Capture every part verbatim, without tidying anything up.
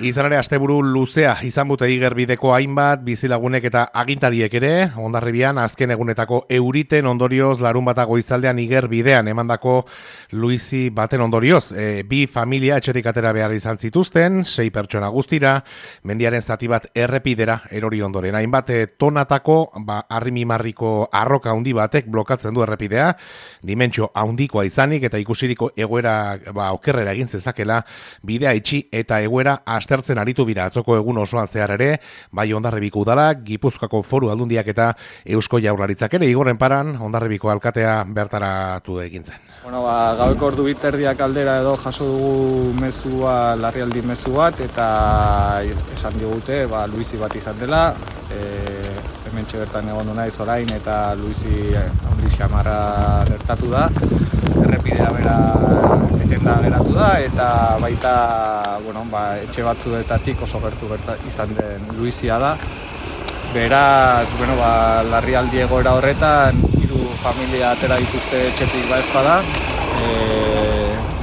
Izan ere, asteburu luzea izan bute igerbideko hainbat, bizilagunek eta agintariek ere, Hondarribian azken egunetako euriten ondorioz larun bata goizaldean igerbidean emandako luizi baten ondorioz. E, bi familia etxetik atera behar izan zituzten, sei pertsona guztira, mendiaren zati bat errepidera erori ondoren. Hainbat tonatako, ba, arrimimarriko arroka handi batek blokatzen du errepidea, dimentsio handikoa izanik eta ikusiriko egoera ba, okerrera egin zezakela, bidea itxi eta egoera aztertzen aritu bira atzoko egun osoan zehar ere, bai Hondarribiko udalak, Gipuzkoako Foru Aldundiak eta Eusko Jaurlaritzak ere, igorren paran Hondarribiko alkatea bertaratu egin zen. Bueno, ba, gaueko ordu biterdiak aldera edo jaso dugu mezua, larrialdi mezu bat, eta esan digute, ba, luizi bat izan dela, e, hementxe bertan egon naiz orain, eta luizi handi xamarra gertatu da, errepidea bera etenda geratu da, eta baita bueno, ba, etxe batzuetatik oso gertu gerta izan den luizia da. Beraz, bueno, ba, larrialdi egoera horretan, hiru familia atera dituzte etxetik ba ez bada. E,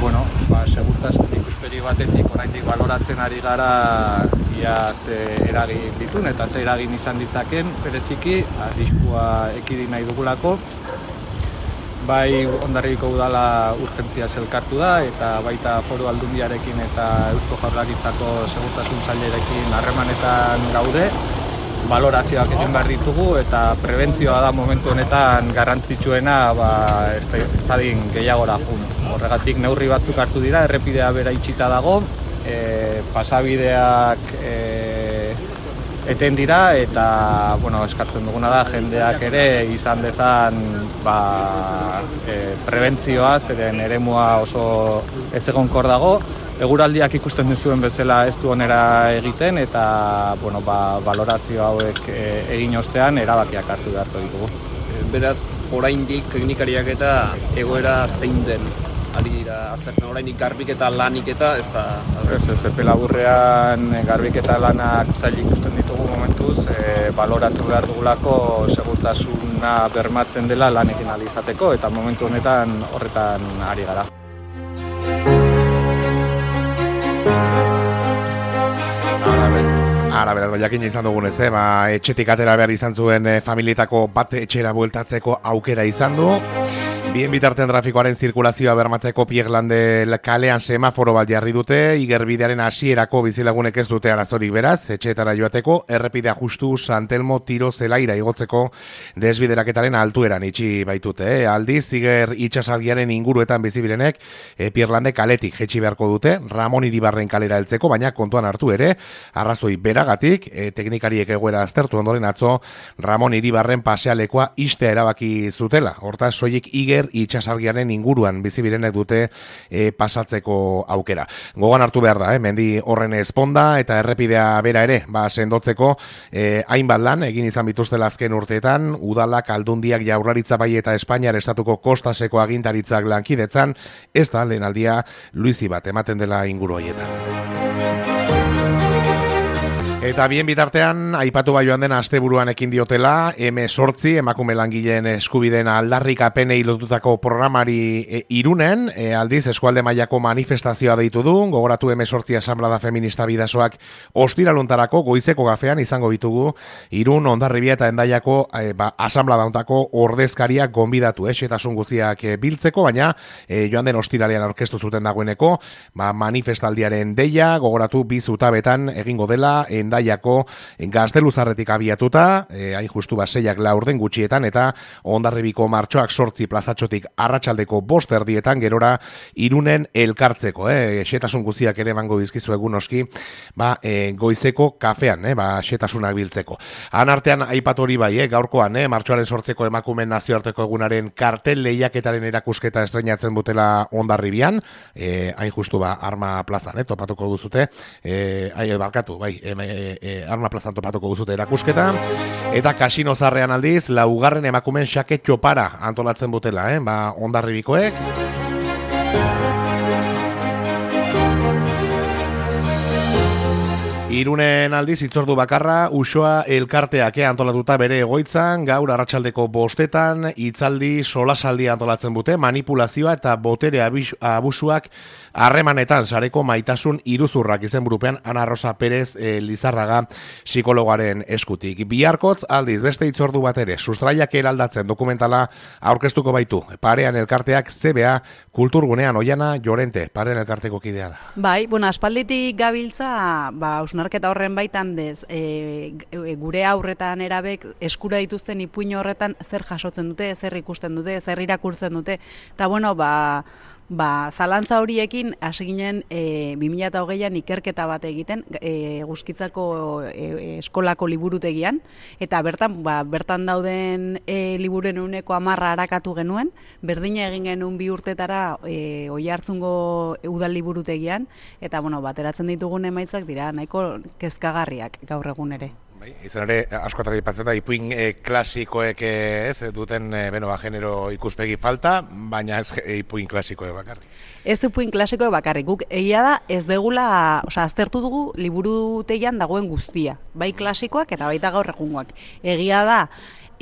bueno, ba, segurtasun ikuspegi batetik oraindik baloratzen ari gara ia ze eragin ditun eta ze eragin izan ditzaken, bereziki arriskua ekidin nahi dugulako. Bai Hondarribiko udala urgentzia elkartu da eta baita Foru Aldundiarekin eta Eusko Jaurlaritzako segurtasun sailerekin harremanetan gaude. Balorazioak egin behar ditugu eta prebentzioa da momentu honetan garrantzitsuena ba, estadin gehiagora jun. Horregatik neurri batzuk hartu dira, errepidea bera itxita dago, e, pasabideak e, eten dira eta bueno, eskatzen duguna da jendeak ere izan dezan ba, e, prebentzioa, zeren eremua oso ezegonkor dago. Eguraldiak ikusten duzuen bezala ez du onera egiten eta bueno, ba, balorazio hauek e, egin ostean erabakiak hartu beharko ditugu. Beraz, oraindik teknikariak eta egoera zein den ari dira aztertzen, oraindik garbiketa lanik eta ez da... Ez ez, epe laburrean garbiketa lanak zail ikusten ditugu momentuz, e, baloratu behar dugulako segurtasuna bermatzen dela lanekin ahal izateko eta momentu honetan horretan ari gara. Ara, beraz, jakin izan dugunez, eh? ba, etxetik atera behar izan zuen eh, familietako bat etxera bueltatzeko aukera izan du. Bien bitartean trafikoaren zirkulazioa bermatzeko Pierlande kalean semaforo bat jarri dute, igerbidearen hasierako bizilagunek ez dute arazorik beraz, etxeetara joateko, errepidea justu San Telmo tiro zelaira igotzeko desbideraketaren altueran itxi baitute. Eh? Aldiz, iger itxasargiaren inguruetan bizibirenek, eh, Pierlande kaletik jetxi beharko dute, Ramon Iribarren kalera heltzeko, baina kontuan hartu ere, arrazoi beragatik, eh, teknikariek egoera aztertu ondoren atzo, Ramon Iribarren pasealekoa istea erabaki zutela. Hortaz, soilik iger itxasargiaren inguruan bizibirenek dute e, pasatzeko aukera. Gogan hartu behar da, eh? mendi horren esponda eta errepidea bera ere, ba, sendotzeko e, hainbat lan egin izan bituztela azken urteetan, udalak, aldundiak, Jaurlaritza bai eta Espainiar estatuko kostaseko agintaritzak lankidetzan, ez da lehen aldia luizi bat ematen dela inguru horietan. Eta bien bitartean, aipatu bai joan den asteburuan ekin diotela, eme sortzi, emakume langileen eskubideen aldarrikapenei lotutako programari e, Irunen, e, aldiz eskualde mailako manifestazioa deitu du, gogoratu eme sortzi asamblada feminista bidasoak ostiraluntarako goizeko gafean izango bitugu, Irun, Hondarribia eta Hendaiako e, ba, asamblada ontako ordezkariak gonbidatu, eh, xetasun guztiak e, biltzeko, baina e, joan den ostiralean aurkeztu zuten dagoeneko, ba, manifestaldiaren deia, gogoratu bi zutabetan egingo dela, Hendaiako Gazteluzarretik abiatuta, e, hain justu baseiak laurden gutxietan, eta Hondarribiko martxoak sortzi plazatxotik arratsaldeko bost erdietan gerora Irunen elkartzeko. Eh? Xetasun guztiak ere emango dizkizu egun oski, ba, e, goizeko kafean, eh? ba, xetasunak biltzeko. Han artean aipatu hori bai, eh? gaurkoan, eh? martxoaren sortzeko emakumeen nazioarteko egunaren kartel lehiaketaren erakusketa estreinatzen dutela Hondarribian, e, hain justu ba, Arma plazan, eh? topatuko duzute, e, ai, barkatu, bai, e, E, e, Arma plazan topatuko duzute erakusketa, eta Kasino Zarrean aldiz laugarren emakumen xake txopara antolatzen butela, eh? ba, Hondarribikoek. Irunen aldiz hitzordu bakarra Uxoa elkarteak antolatuta bere egoitzan, gaur arratsaldeko bostetan hitzaldi solasaldi antolatzen dute, manipulazioa eta botere abusuak harremanetan sareko maitasun iruzurrak izenburupean Ana Rosa Pérez e, Lizarraga psikologoaren eskutik. Biharkotz aldiz beste hitzordu bat ere sustraiak eraldatzen dokumentala aurkeztuko baitu. Parean elkarteak C B A kulturgunean Oiana Llorente, Parean elkarteko kidea da. Bai, bueno, aspalditik gabiltza, ba, hausnarketa horren baitan dez, e, gure aurretan erabek eskura dituzten ipuin horretan zer jasotzen dute, zer ikusten dute, zer irakurtzen dute, eta bueno, ba, ba, zalantza horiekin hasi ginen e, bi mila hogeian ikerketa bat egiten e, Eguzkitzako e, eskolako liburutegian, eta bertan, ba, bertan dauden e, liburuen ehuneko hamarra arakatu genuen, berdina egin genuen bi urtetara e, Oiartzungo udal liburutegian, eta bueno, bateratzen ditugun emaitzak dira nahiko kezkagarriak gaur egun ere. Bai, izan ere, askotara ipatzen da, ipuin e, klasikoek ez duten e, beno, ba, genero ikuspegi falta, baina ez e, ipuin klasikoek bakarrik. Ez ipuin klasikoek bakarrik, guk egia da ez degula, osea, aztertu dugu liburutegian dagoen guztia, bai klasikoak eta baita gaur egungoak. Egia da,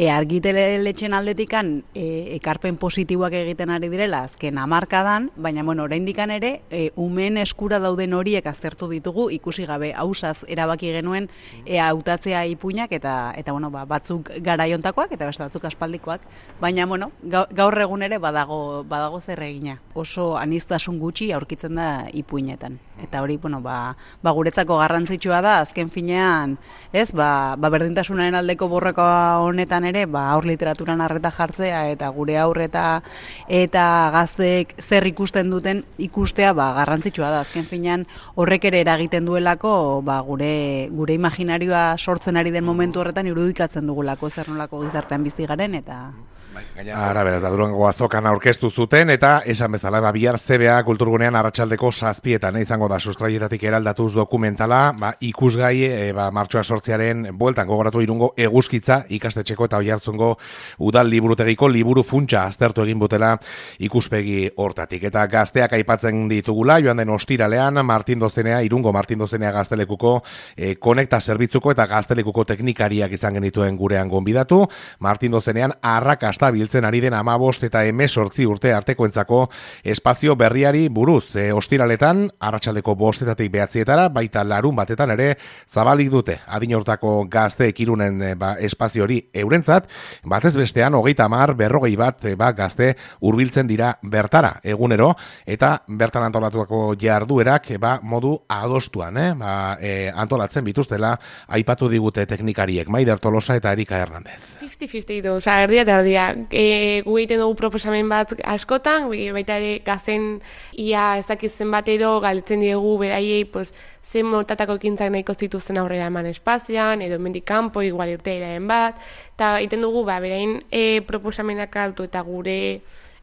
E, argitaletxen aldetikan e, ekarpen positiboak egiten ari direla azken hamarkadan, baina bueno, oraindikan ere e, umeen eskura dauden horiek aztertu ditugu, ikusi gabe hausaz erabaki genuen e, hautatzea ipuinak eta eta bueno, ba, batzuk garaiontakoak eta beste batzuk aspaldikoak, baina bueno, gaur egun ere badago badago zer egina. Oso aniztasun gutxi aurkitzen da ipuinetan. Eta hori, bueno, ba, ba guretzako garrantzitsua da azken finean, ez, ba, ba berdintasunaren aldeko borroka honetan ere, ba aur literaturan arreta jartzea eta gure aurreta eta gazteek zer ikusten duten ikustea, ba garrantzitsua da. Azken finean horrek ere eragiten duelako, ba gure gure imaginarioa sortzen ari den momentu horretan irudikatzen dugulako zer nolako gizartean bizi garen eta Ara, beraz, da Durango azokan aurkeztu zuten, eta esan bezala, ba, bihar C B A kulturgunean arratsaldeko zazpietan, eh, izango da sustraietatik eraldatuz dokumentala, ba, ikusgai, e, ba, martxoa sortzearen bueltan gogoratu Irungo Eguzkitza ikastetxeko eta Oiartzungo udal liburutegiko liburu funtsa aztertu egin butela ikuspegi hortatik. Eta gazteak aipatzen ditugula, joan den ostiralean, Martin Dozenea, Irungo Martin Dozenea gaztelekuko e, konekta zerbitzuko eta gaztelekuko teknikariak izan genituen gurean gonbidatu. Martin Dozenean arrakasta biltzen ari den hamabost eta hemezortzi urte artekoentzako espazio berriari buruz. E, ostiraletan, arratsaldeko bostetatik behatzietara, baita larun batetan ere zabalik dute. Adin hortako gazteek Irunen e, ba, espazio hori eurentzat, batez bestean hogeita hamar berrogei bat e, ba, gazte hurbiltzen dira bertara egunero, eta bertan antolatuako jarduerak e, ba, modu adostuan, eh? ba, e, antolatzen bituztela aipatu digute teknikariek, Maider Tolosa eta Erika Hernandez. fifty fifty du, oza, erdia eta erdia. E, gu egiten dugu proposamen bat askotan, baita ere gazen ia ezakitzen batero galtzen diegu beraiei, pues, zen motatako ekintzak nahiko zituzen aurrera eman espazioan, edo hemendik kanpo, igual irtearen bat, eta egiten dugu, ba, berain e, proposamenak hartu eta gure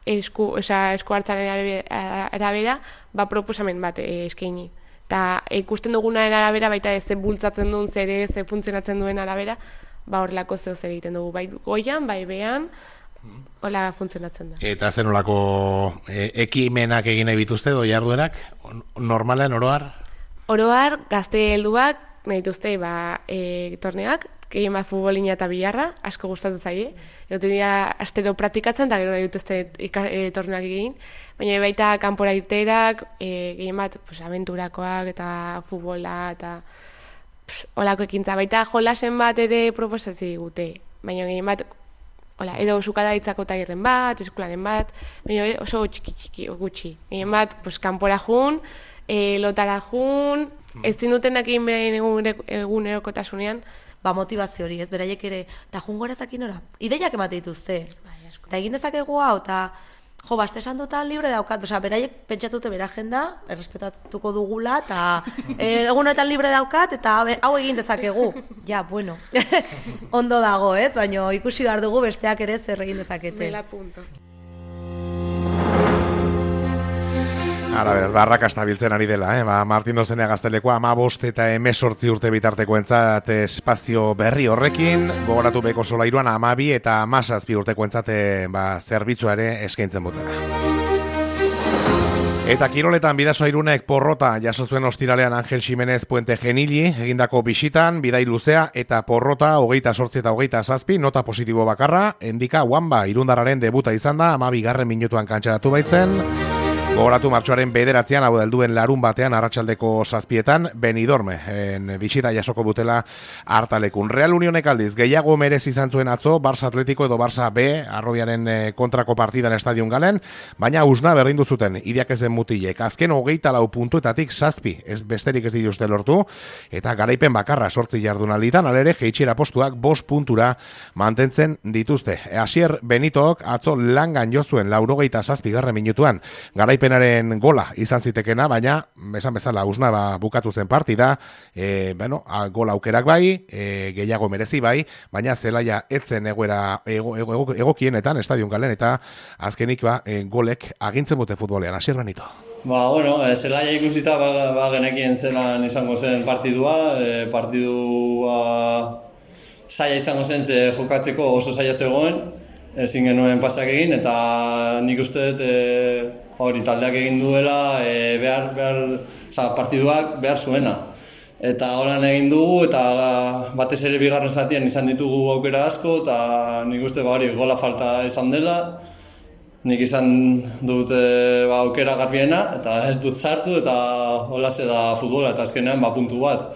esku, oza, esku hartzaren arabera, ba, proposamen bat e, eskaini. Eta ikusten dugunaren arabera, baita ez bultzatzen duen, zer ze funtzionatzen duen arabera, ba, horrelako zeo zer egiten dugu, bai goian, bai behan, hola funtzionatzen da. Eta zen olako e, ekimenak egin nahi bituzte, doi jarduerak, normalen oroar? Oroar, gazte helduak, nahi dituzte, ba, e, torneak, gehien bat futbolina eta bilarra, asko gustatzen zaie. Egoten dira astero praktikatzen, eta gero nahi dituzte e, torneak egin. Baina baita kanpora irterak, e, gehien bat pues, aventurakoak eta futbola, eta pss, olako ekintza. Baita jolasen bat ere proposatzen digute. Baina gehien bat, hola, edo sukadaritzako tailerren bat, eskolaren bat, baina oso txiki txiki gutxi. Gehien bat, pues, kanpora jun, e, lotara jun, ez zindutenak egin beraien egunerokotasunean, ba, motivazio hori, ez, beraiek ere, eta jungora zakin ora, ideiak emate dituzte, eta egin dezakegu hau, eta jo, baste esan dutan libre daukat, oza, beraiek pentsatute bera agenda, errespetatuko dugula, eta e, egunetan libre daukat, eta hau egin dezakegu. Ja, bueno, ondo dago, ez, baina ikusi behar dugu besteak ere zer egin dezakete. Bela punto. Ara, beraz, barrakasta biltzen ari dela, eh? Ba, Martin Dozenea gaztelekoa hamabost eta hemezortzi urte bitartekoentzat espazio berri horrekin, gogoratu beko solairuan hamabi eta hamazazpi urtekoentzat ba, zerbitzua ere eskaintzen botela. Eta kiroletan Bidasoa Irunek porrota jaso zuen ostiralean Angel Ximenez Puente Genili egindako bisitan, bidai luzea eta porrota hogeita sortzi eta hogeita zazpi, nota positibo bakarra, Endika Wamba irundarraren debuta izan da, ama bigarren minutuan kantxaratu baitzen. Gogoratu martxoaren bederatzean, hau helduen larun batean arratsaldeko zazpietan, Benidorme, en bisita jasoko butela hartalekun. Real Unionek aldiz, gehiago merez izan zuen atzo, Barça Atletico edo Barça B, arrobiaren kontrako partidan estadion galen, baina usna berdindu zuten, idiak ezen mutilek. Azken hogeita lau puntuetatik zazpi, ez besterik ez dituzte lortu, eta garaipen bakarra sortzi jardunalditan, alere jeitxiera postuak bost puntura mantentzen dituzte. Asier Benitok atzo langan jozuen laurogeita zazpi garren minutuan, garaipen Penaren gola izan zitekena, baina esan bezala usna ba, bukatu zen partida, e, bueno, a, gola aukerak bai, e, gehiago merezi bai, baina zelaia etzen egoera ego, ego, ego, egokienetan, estadion galen, eta azkenik ba, e, golek agintzen dute futbolean. Asier Benito. Ba, bueno, e, zelaia ikusita ba, ba, genekien zelan izango zen partidua, e, partidua zaila izango zen ze jokatzeko oso zaila zegoen, ezin genuen pasak egin, eta nik uste dut e, hori taldeak egin duela e, behar, behar, oza, partiduak behar zuena. Eta holan egin dugu, eta batez ere bigarren zatian izan ditugu aukera asko, eta nik uste ba, hori gola falta izan dela. Nik izan dut e, ba, aukera garbiena, eta ez dut sartu, eta hola ze da futbola, eta azkenean ba, puntu bat.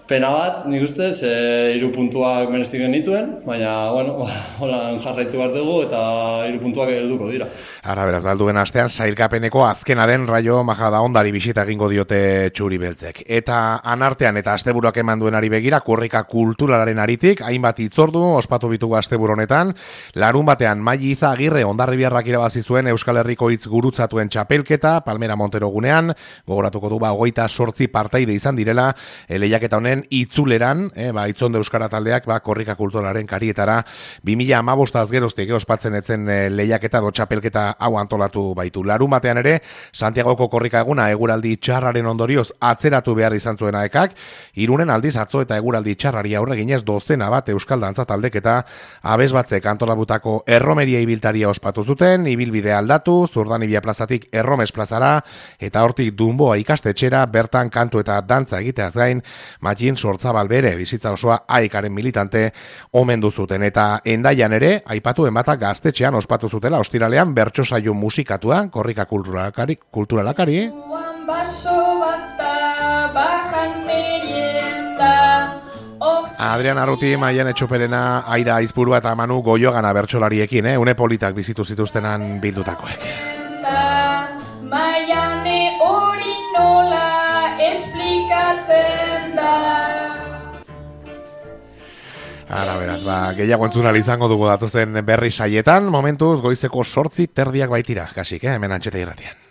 Pena bat, nik uste, ze hiru puntuak merezi genituen, baina, bueno, holan jarraitu behar dugu eta hiru puntuak helduko dira. Ara, beraz, balduen astean, sailkapeneko azkena den Raio Majadahondari bisita egingo diote txuri beltzek. Eta anartean eta asteburuak eman duenari begira, korrika kulturalaren aritik, hainbat hitzordu ospatu bitugu asteburu honetan, larun batean Maili Iza Agirre Hondarribiarrak irabazi zuen Euskal Herriko hitz gurutzatuen txapelketa, Palmera Montero gunean, gogoratuko du ba, hogeita sortzi partaide izan direla, e, lehiaketa honen itzuleran, eh, ba, itzondo euskara taldeak, ba, korrika kulturalaren karietara, bi mila hamabostaz geroztik ospatzen etzen e, lehiaketa do txapelketa hau antolatu baitu. Larun batean ere, Santiagoko korrika eguna eguraldi txarraren ondorioz atzeratu behar izan zuena ekak, Irunen aldiz atzo eta eguraldi txarrari aurre ginez dozena bat euskal dantza taldeketa abez batzek antolabutako erromeria ibiltaria ospatu zuten, ibilbide aldatu, Zurdanibia plazatik Erromes plazara, eta hortik Dunboa ikastetxera bertan kantu eta dantza egiteaz gain, Matxin Sortzabal bere bizitza osoa aikaren militante omendu zuten, eta Endaian ere aipatu enbatak gaztetxean ospatu zutela ostiralean bertso saio musikatua korrika kulturalakari, kulturalakari. Adrian Arruti, Maian Etxoperena, Aira Aizpurua eta Manu Goiogana bertsolariekin, eh? Une politak bizitu zituztenan bildutakoek. Maiane hori nola esplikatzen da. Ara, beraz, ba, gehiago entzunal izango dugu datuzen berri saietan, momentuz goizeko sortzi terdiak baitira, kasik, eh? Hemen Antxeta Irratian.